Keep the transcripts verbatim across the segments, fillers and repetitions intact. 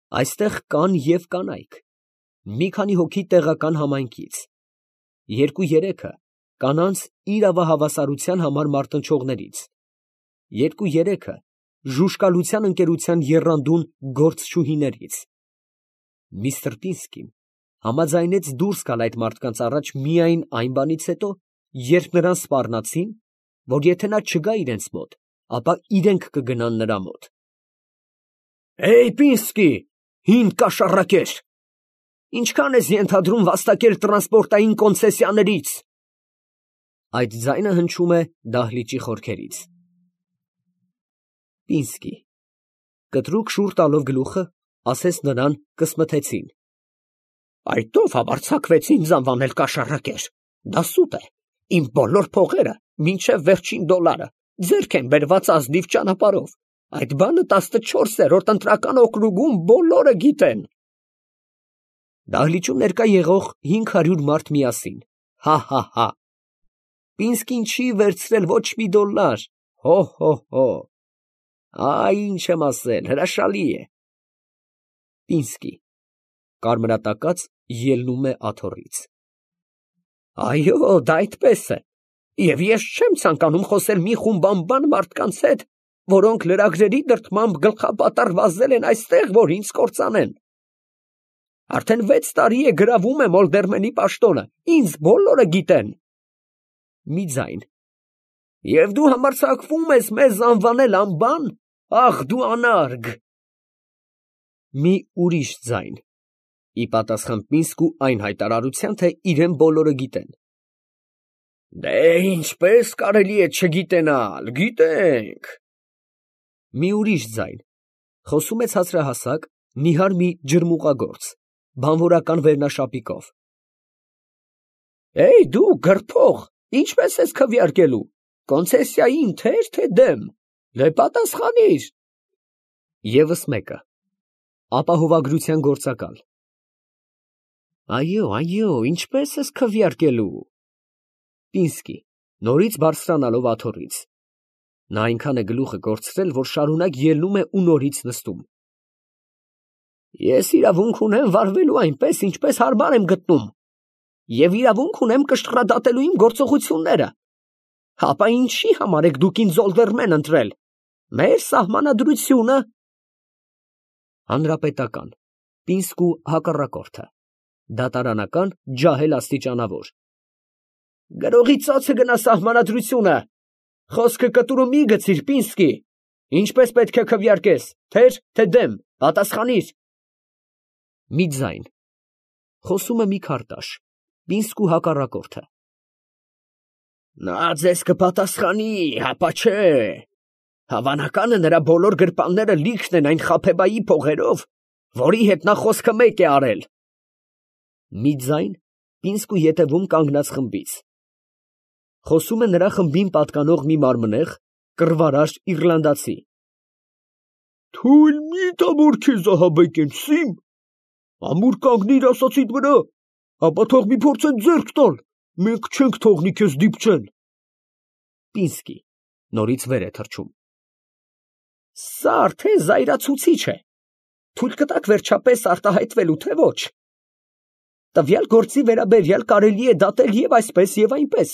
Այստեղ կան և կանայք, մի քանի հոգի տեղական համայնքից, երկու֊երեքը կանանց իրավահավասարության համար մարտնչողներից, երկու֊երեքը ժուժկալության ընկերության եռանդուն գործչուհիներից։ Միսթր Պինսկին համաձայնեց դուրս գալ այդ մարդկանց առաջ միայն այն բանից հետո, երբ նրան սպառնացին, որ եթե նա չգա իրենց մոտ, ապա իրենք կգնան նրա մոտ։ «Հեյ, Պինսկի, հին կաշառակեր, ինչքան ես ենթադրում վաստակել տրանսպորտային կոնցեսիաներից»։ Այդ ձայնը հնչում է դահլիճի խորքերից։ Պինսկի կտրուկ շուռ տալով գլուխը, ասեց նրան, կսմթեցին. «Այդ ո՞վ համարձակվեց ինձ անվանել կաշառակեր, դա սուտ է, իմ բոլոր փողերը, մինչև վերջին դոլարը, ձեռք են բերված ազնիվ ճանապարհով, այդ բանը տասնչորսերորդ ընտրական օկրուգում բոլորը գիտեն»։ Դահլիճում ներկա եղող հինգ հարյուր մարդ միասին. «Հա՛֊հա՛֊հա՛, Պինսկին չի վերցրել ոչ մի դոլար, հո՛֊հո՛֊հո՛, այ ինչ եմ ասել, հրաշալի է»։ Պինսկի կարմրատակած, ելնում է աթոռից։ «Այո, դա այդպես է, և ես չեմ ցանկանում խոսել մի խումբ անբան մարդկանց հետ, որոնք լրագրերի դրդմամբ գլխապատառ վազել են այստեղ, որ ինձ կործանեն։ Արդեն վեց տարի է գրավում է Մոլդերմենի պաշտոնը, ինձ բոլորը գիտեն»։ Մի ձայն. «Եվ դու համարձակվում ես մեզ անվանել անբան, ախ դու անարգ»։ Մի ուրիշ ձայն. ի պատասխան Պինսկու այն հայտարարության, թե իրեն բոլորը գիտեն. «Դե ինչպես կարելի է չգիտենալ, գիտենք»։ Մի ուրիշ ձայն. խոսում է ցածրահասակ, նիհար մի ջրմուղագործ, բանվորական վերնաշապիկով. «Էյ դու գրփող, ինչպես ես քվեարկելու, կոնցեսիային թե՞ր, թե դեմ, դե պատասխանիր»։ ԵՒս մեկը. ապահովագրության գործակալ. «Այո, այո, ինչպես ես քվեարկելու»։ Պինսկի նորից բարձրանալով աթոռից. նա այնքան է գլուխը կորցրել, որ շարունակ ելնում է ու նորից նստում. «Ես իրավունք ունեմ վարվելու այնպես, ինչպես հարմար եմ գտնում, և իրավունք ունեմ կշռադատելու իմ գործողությունները, հապա ինչի համար եք դուք ինձ օլդերմեն ընտրել, մեր սահմանադրությունը»։ Հանրապետական, Պինսկու հակառակորդը, դատարանական, ջահել աստիճանավոր. «Գրողի ծոցը գնա սահմանադրությունը, խոսքը կտուրը մի գցիր, Պինսկի, ինչպես պետք է քվեարկես, թե՞ր, թե դեմ, պատասխանիր»։ Մի ձայն. խոսում է մի քարտաշ, Պինսկու հակառակորդը. «Նա ձեզ կպատասխանի, հապա չէ, հավանական է նրա բոլոր գրպանները լիքն են այն Խաբեբայի փողերով, որի հետ նա խոսքը մեկ է արել»։ Մի ձայն. Պինսկու ետևում կանգնած խմբից. խոսում է նրա խմբին պատկանող մի մարմնեղ, կռվարար իռլանդացի. «Թույլ մի տա, որ քեզ ահաբեկեն, Սիմ, ամուր կանգնիր ասածիդ վրա, ապա թող մի փորձեն ձեռք տալ, մենք չենք թողնի քեզ դիպչեն»։ Պինսկի նորից վեր է թռչում. «Սա արդեն զայրացուցիչ է, թույլ կտաք վերջապես արտահայտվելու, թե ոչ։ Տվյալ գործի վերաբերյալ կարելի է դատել և այսպես, և այնպես։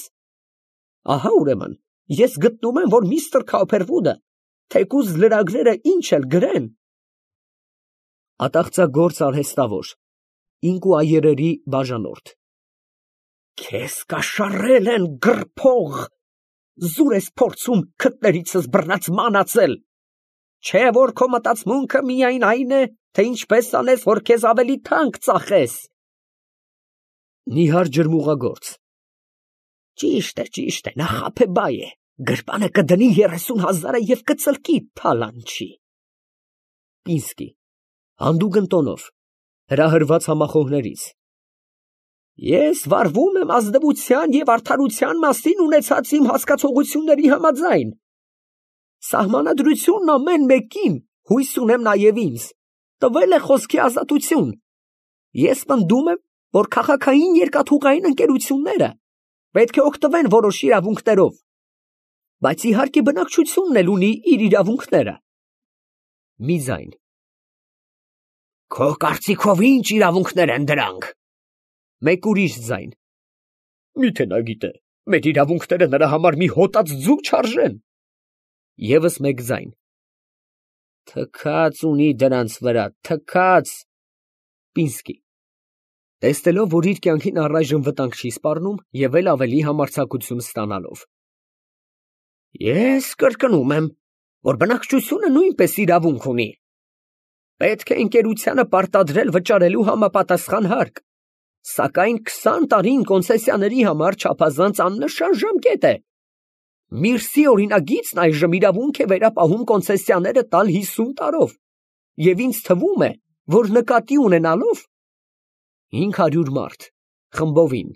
Ահա ուրեմն ես գտնում եմ, որ միստր Քոփերվուդը, թեկուզ լրագրերը ինչ էլ գրեն» Ատաղծագործ արհեստավոր, ինկուայերերի բաժանորդ. «Քեզ կաշառել են, գրփող, զուր ես փորձում քթներիցս բռնած մանածել, չէ՞ որ քո մտածմունքը միայն այն է, թե ինչպես անես, որ քեզ ավելի թանկ ծախես»։ Նիհար ջրմուղագործ. «Ճիշտ է, ճիշտ է, նա Խաբեբա է, գրպանը կդնի երեսուն հազարը և կծլկի թալանչի»։ Պինսկի հանդուգն տոնով, հրահրված համախոհներից. «Ես վարվում եմ ազնվության և արդարության մասին ունեցած իմ հասկացողությունների համաձայն, սահմանադրությունն ամեն մեկին, հույս ունեմ նաև ինձ, տվել է խոսքի ազատություն, ես պնդում եմ, որ քաղաքային երկաթուղային ընկերությունները պետք է օգտվեն որոշ իրավունքներով, բայց իհարկե բնակչությունն էլ ունի իր իրավունքները»։ Մի ձայն. Քո կարծիքով ի՞նչ իրավունքներ են դրանք։ Մեկ ուրիշ ձայն. Միթե նա գիտե, մեր իրավունքները նրա համար մի հոտած ձու չարժեն։ Եվս մեկ ձայն. Թքած ունի դրանց վրա, թքած։ Պինսկի տեսնելով, որ իր կյանքին առայժմ վտանգ չի սպառնում և էլ ավելի համարձակություն ստանալով. Ես կրկնում եմ, որ բնակչությունը նույնպես իրավունք ունի։ Պետք է ընկերությանը պարտադրել վճարելու համապատասխան հարկ, սակայն քսան տարին կոնցեսիաների համար չափազանց աննշան ժամկետ է։ Միրսի օրինագիծն այժմ իրավունք է վերապահում կոնցեսիաները տալ հիսուն տարով, և ինձ թվում է, որ նկատի ունենալով հինգ հարյուր մարդ խմբովին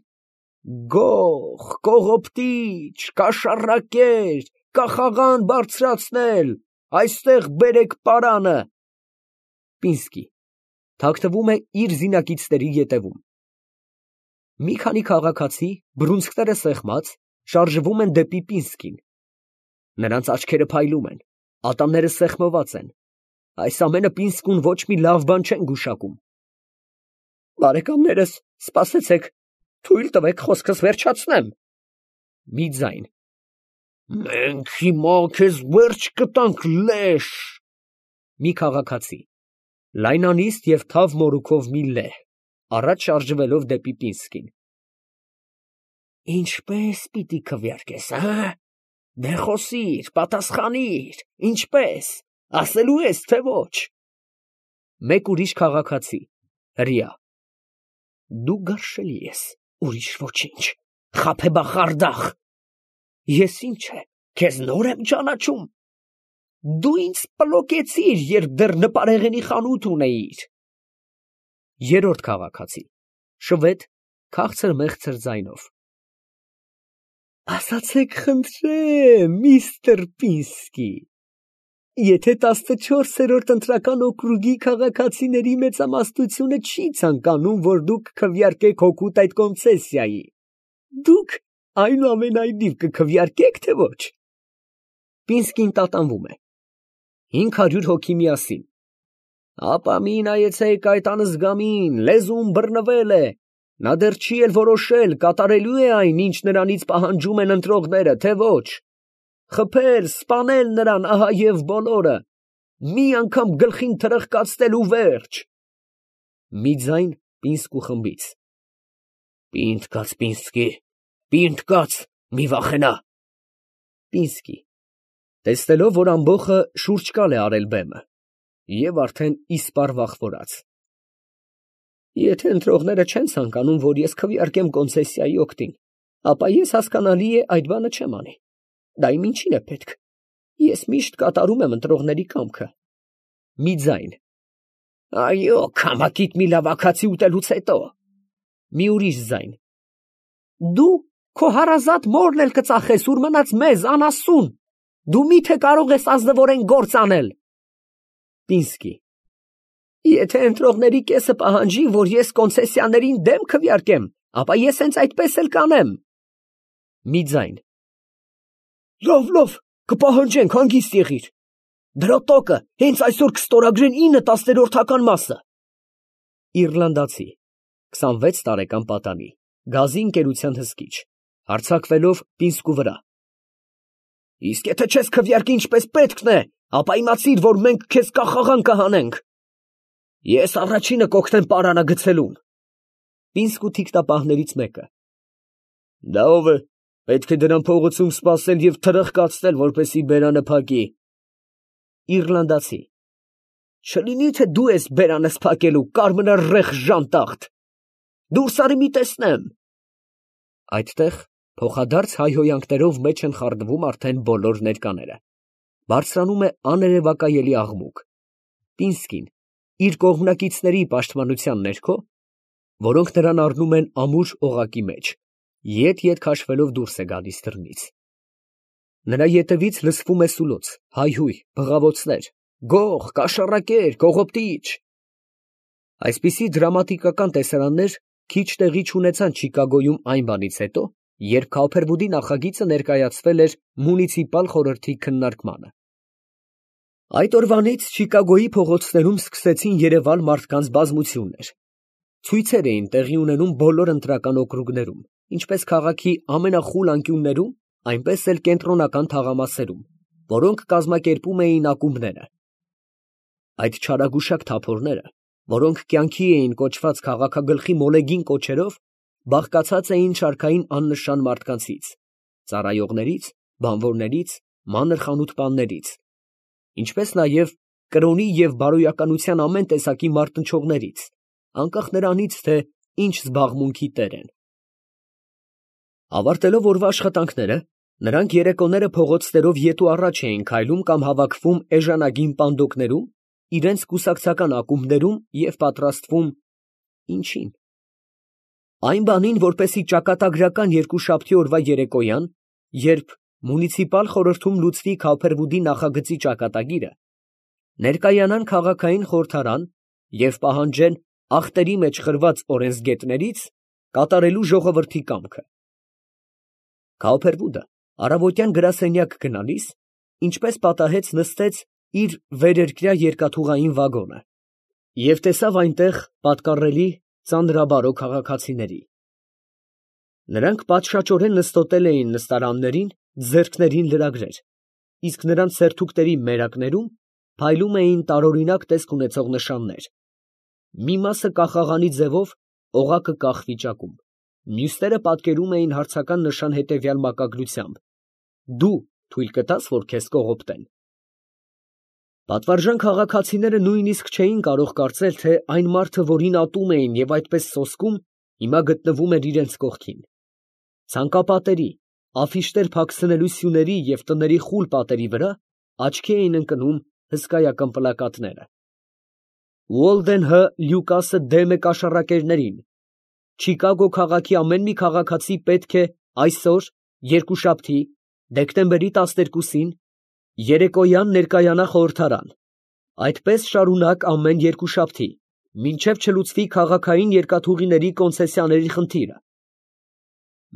գող, կողոպտիչ, կաշառակեր, կախաղան բարձրացնել, այստեղ բերեք պարանը։ Պինսկի թաքնվում է իր զինակիցների ետևում։ Մի քանի քաղաքացի, բռունցքները սեղմած, շարժվում են դեպի Պինսկին։ Նրանց աչքերը փայլում են, ատամները սեղմված են։ Այս ամենը Պինսկուն ոչ մի լավ բան չեն գուշակում։ Բարեկամներս, սպասեցեք, թույլ տվեք խոսքս վերջացնեմ։ Մի ձայն. Մենք հիմա քեզ վերջ կտանք, լեշ։ Մի քաղաքացի, լայնանիստ և թավ մորուքով մի լեհ, առաջ շարժվելով դեպի Պինսկին։ Ինչպե՞ս պիտի քվեարկես, հա՞։ Դե խոսիր, պատասխանիր, ինչպե՞ս, ասելու ես, թե ոչ։ Մեկ ուրիշ քաղաքացի, հրեա. Դու գարշելի ես, ուրիշ ոչինչ, խաբեբախարդախ։ Ես ինչ է, քեզ նոր եմ ճանաչում։ Դու ինձ պլոկեցիր, երբ դեռ նպարեղենի խանութ ունեիր։ Երրորդ քաղաքացի, շվեդ, քաղցր մեղցր ձայնով. Ասացեք խնդրեմ, միստր Պինսկի, եթե տասնչորսերորդ ընտրական օկրուգի քաղաքացիների մեծամասնությունը չի ցանկանում, որ դուք քվեարկեք հօգուտ այդ կոնցեսիայի, դուք այնուամենայնիվ կքվեարկեք, թե ոչ։ Պինսկին տատանվում է։ Հինգ հարյուր հոգի միասին. Ապա մի նայեցեք այդ անզգամին, լեզուն բռնվել է, նա դեռ չի էլ որոշել, կատարելու է այն, ինչ նրանից պահանջում են ընտրողները, թե ոչ։ Խփել, սպանել նրան, ահա և բոլորը, մի անգամ գլխին թրխկացնել ու վերջ։ Մի ձայն Պինսկու խմբից. Պինդ կաց, Պինսկի, պինդ կաց, մի վախենա։ Պինսկի տեսնելով, որ ամբոխը շուրջ կալ է արել բեմը և արդեն իսպառ վախվորած. Եթե ընտրողները չեն ցանկանում, որ ես քվեարկեմ կոնցեսիայի օգտին, ապա ես հասկանալի է այդ բանը չեմ անի։ Դա իմ ինչին է պետք։ Ես միշտ կատարում եմ ընտրողների կամքը։ Մի ձայն. Այո, քամակիդ մի լավակացի ուտելուց հետո։ Մի ուրիշ ձայն. Դու քո հարազատ մորն էլ կծախես, ուր մնաց մեզ անասուն։ Դու միթե կարող ես ազնվորեն գործ անել։ Պինսկի եթե ընտրողների կեսը պահանջի, որ ես կոնցեսիաներին դեմ քվեարկեմ, ապա ես հենց այդպես էլ կանեմ։ Մի ձայն. Լավ, լավ, կպահանջենք, հանգիստ եղիր։ Դրա տակը հենց այսօր կստորագրեն ինը տասներորդական մասը։ Իռլանդացի, քսանվեց տարեկան պատանի, գազի ընկերության հսկիչ, հարձակվելով Պինսկու վրա. Իսկ եթե չես քվեարկի ինչպես պետքն է, ապա իմացիր, որ մենք քեզ կախաղան կհանենք։ Ես առաջինը կօգնեմ պարանը գցելուն։ Պինսկու թիկտապահներից մեկը. Դա ով է, պետք է դրան փողոցում սպասել և թրխկացնել, որպեսզի բերանը փակի։ Իռլանդացի. Չլինի թե դու ես բերանս փակելու, կարմրարեղ ժանտախտ։ Դուրս արի մի տեսնեմ։ Այդտեղ փոխադարձ հայհոյանքներով մեջ են խառնվում արդեն բոլոր ներկաները։ Բարձրանում է աներևակայելի աղմուկ։ Պինսկին իր կողմնակիցների պաշտպանության ներքո, որոնք նրան առնում են ամուր օղակի մեջ, ետ-ետ քաշվելով դուրս է գալիս դռնից։ Նրա ետևից լսվում է սուլոց, հայհույհ, բղավոցներ, գող, կաշառակեր, կողոպտիչ։ Այսպիսի դրամատիկական տեսարաններ քիչ տեղի չունեցան Չիկագոյում այն բանից հետո, երբ Քոփերվուդի նախագիծը ներկայացվել էր մունիցիպալ խորհրդի քննարկմանը։ Այդ օրվանից Չիկագոյի փողոցներում սկսեցին երևալ մարդկանց բազմություններ։ Ցույցեր էին տեղի ունենում բոլոր ընտրական օկրուգներում, ինչպես քաղաքի ամենախուլ անկյուններում, այնպես էլ կենտրոնական թաղամասերում, որոնք կազմակերպում էին ակումբները։ Այդ չարագուշակ թափորները, որոնք կյանքի էին կոչված քաղաքագլխի մոլեգին կոչերով, բաղկացած էին շարքային աննշան մարդկանցից, ծառայողներից, բանվորներից, մանր խանութպաններից, ինչպես նաև կրոնի և բարոյականության ամեն տեսակի մարտնչողներից, անկախ նրանից, թե ինչ զբաղմունքի տեր են։ Ավարտելով օրվա աշխատանքները, նրանք երեկոները փողոցներով ետու առաջ էին քայլում կամ հավաքվում էժանագին պանդոկներում, իրենց կուսակցական ակումբներում և պատրաստվում… ինչի՞ն։ Այն բանին, որպեսզի ճակատագրական երկուշաբթի օրվա երեկոյան, երբ մունիցիպալ խորհրդում լուծվի Քայքէբուդի նախագծի ճակատագիրը, ներկայանան քաղաքային խորհրդարան և պահանջեն ախտերի մեջ խրված օրենսգետներից կատարելու ժողովրդի կամքը։ Քայքէբուդը առավոտյան գրասենյակ գնալիս, ինչպես պատահեց, նստեց իր վերերկրյա երկաթուղային վագոնը և տեսավ այնտեղ պատկառելի ծանրաբարո քաղաքացիների։ Նրանք պատշաճորեն նստոտել էին նստարաններին, ձեռքներին լրագրեր, իսկ նրանց սերթուկների մերակներում փայլում էին տարօրինակ տեսք ունեցող նշաններ. մի մասը կախաղանի ձևով օղակը կախ վիճակում, մյուսները պատկերում էին հարցական նշան հետևյալ մակագրությամբ. «Դու թույլ կտա՞ս, որ քեզ կողոպտեն»։ Պատվարժան քաղաքացիները նույնիսկ չէին կարող կարծել, թե այն մարդը, որին ատում էին և այդպես սոսկում, հիմա գտնվում էր իրենց կողքին։ Ցանկապատերի, աֆիշներ փակցնելու սյուների և տների խուլ պատերի վրա աչքի էին ընկնում հսկայական պլակատները. «Ուոլդեն Հ. Լյուկասը դեմ է կաշառակերներին. Չիկագո քաղաքի ամեն մի քաղաքացի պետք է այսօր, երկուշաբթի, դեկտեմբերի տասներկուսին, երեկոյան ներկայանա խորհրդարան, այդպես շարունակ ամեն երկուշաբթի, մինչև չլուծվի քաղաքային երկաթուղիների կոնցեսիաների խնդիրը։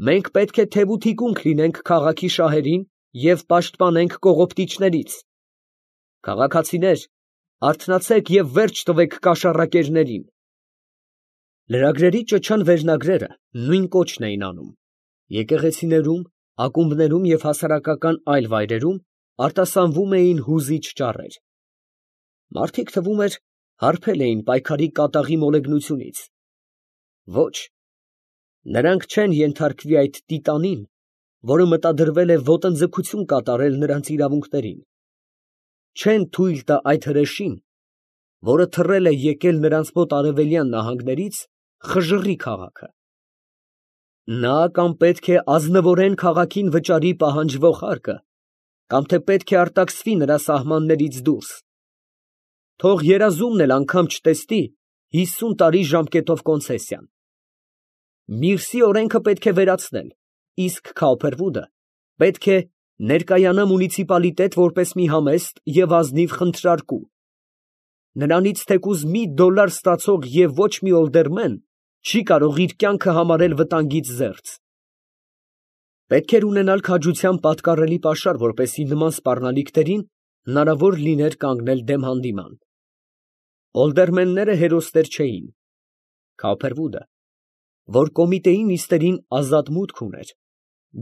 Մենք պետք է թև ու թիկունք լինենք քաղաքի շահերին և պաշտպանենք կողոպտիչներից։ Քաղաքացիներ, արթնացեք և վերջ տվեք կաշառակերներին»։ Լրագրերի ճչան վերնագրերը նույն կոչն էին անում։ Եկեղեցիներում, ակումբներում և հասարակական այլ վայրերում արտասանվում էին հուզիչ ճառեր։ Մարդիկ, թվում էր, հարբել էին պայքարի կատաղի մոլեգնությունից։ Ոչ, նրանք չեն ենթարկվի այդ տիտանին, որը մտադրվել է ոտնձգություն կատարել նրանց իրավունքներին, չեն թույլ տա այդ հրեշին, որը թռել է եկել նրանց մոտ արևելյան նահանգներից, խժռի քաղաքը։ Նա կամ պետք է ազնվորեն քաղաքին վճարի պահանջվող հարկը, կամ թե պետք է արտաքսվի նրա սահմաններից դուրս։ Թող երազումն էլ անգամ չտեսնի հիսուն տարի ժամկետով կոնցեսիան։ Միրսի օրենքը պետք է վերացնել, իսկ Քայքէբուդը պետք է ներկայանա մունիցիպալիտետ որպես մի համեստ և ազնիվ խնդրարկու։ Նրանից թեկուզ մի դոլար ստացող և ոչ մի օլդերմեն չի կարող իր կյանքը համարել վտանգից զերծ։ Պետք էր ունենալ քաջության պատկառելի պաշար, որպեսզի նման սպառնալիքներին հնարավոր լիներ կանգնել դեմ հանդիման։ Օլդերմենները հերոսներ չէին։ Քայքէբուդը, որ կոմիտեի նիստերին ազատ մուտք ուներ,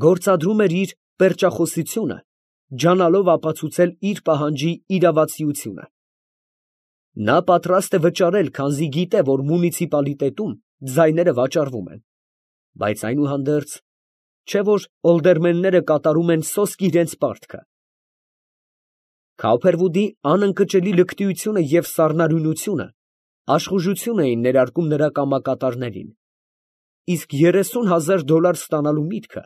գործադրում էր իր պերճախոսությունը, ջանալով ապացուցել իր պահանջի իրավացիությունը։ Նա պատրաստ է վճարել, քանզի գիտե, որ մունիցիպալիտետում ձայները վաճառվում են, բայց այնուհանդերձ, չէ՞ որ օլդերմենները կատարում են սոսկ իրենց պարտքը։ Քայքէբուդի անընկճելի լկտիությունը և սառնարյունությունը աշխուժություն էին ներարկում նրա կամակատարներին, իսկ երեսուն հազար դոլար ստանալու միտքը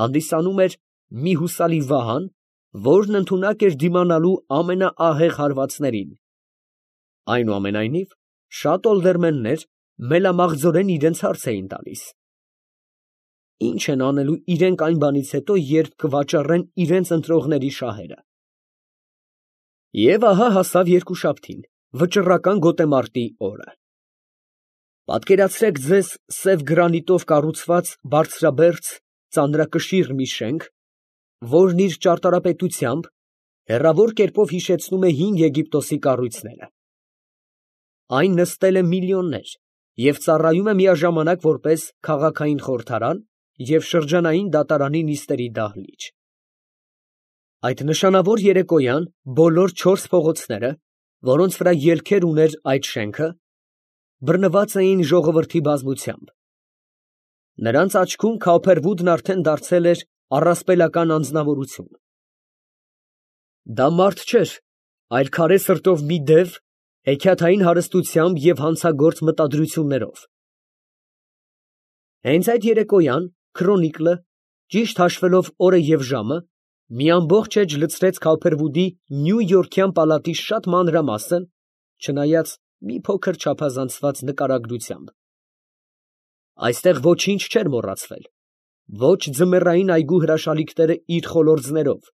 հանդիսանում էր մի հուսալի վահան, որն ընդունակ էր դիմանալու ամենաահեղ հարվածներին։ Այնուամենայնիվ, շատ օլդերմեններ մելամաղձորեն իրենց հարց էին տալիս. ի՞նչ են անելու իրենք այն բանից հետո, երբ կվաճառեն իրենց ընտրողների շահերը։ Եվ ահա հասավ երկուշաբթին, վճռական գոտեմարտի օրը։ Պատկերացրեք ձեզ սև գրանիտով կառուցված բարձրաբերձ ծանրակշիռ մի շենք, որն իր ճարտարապետությամբ, Հեռավոր կերպով հիշեցնում է հին Եգիպտոսի կառույցները։ Այն նստել է միլիոններ և ծառայում է միաժամանակ որպես քաղաքային խորհրդարան և շրջանային դատարանի նիստերի դահլիճ։ Այդ նշանավոր երեկոյան բոլոր չորս փողոցները, որոնց վրա ելքեր ուներ այդ շենքը, բռնված էին ժողովրդի բազմությամբ։ Նրանց աչքում Քոփերվուդն արդեն դարձել էր առասպելական անձնավորություն։ Դա մարդ չէր, այլ քարե սրտով մի դև, հեքիաթային հարստությամբ և հանցագործ մտադրություններով։ Հենց այդ երեկոյան Քրոնիկլը, ճիշտ հաշվելով օրը և ժամը, մի ամբողջ էջ լցրեց Քոփերվուդի նյույորքյան պալատի շատ մանրամասն, չնայած մի փոքր չափազանցված նկարագրությամբ։ Այստեղ ոչինչ չէր մոռացվել, ոչ ձմեռային այգու հրաշալիքները իր խոլորձներով,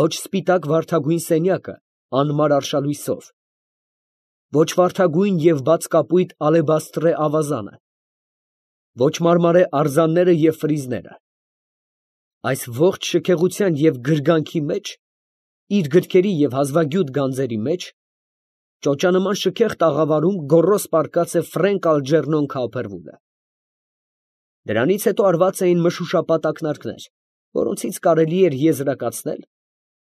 ոչ սպիտակ վարդագույն սենյակը անմար արշալույսով, ոչ վարդագույն և բաց կապույտ ալեբաստրե ավազանը, ոչ մարմարե արձանները և ֆրիզները։ Այս ողջ շքեղության և գրգանքի մեջ, իր գրքերի և հազվագյուտ գանձերի մեջ, ճոճանման շքեղ տաղավարում գոռոզ պառկած է Ֆրենկ Ալջերնոն Քոփերվուդը։ Դրանից հետո արված էին մշուշապատ ակնարկներ, որոնցից կարելի էր եզրակացնել,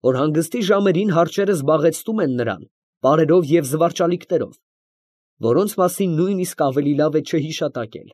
որ հանգստի ժամերին հարճերը զբաղեցնում են նրան պարերով և զվարճալիքներով, որոնց մասին նույնիսկ ավելի լավ է չհիշատակել։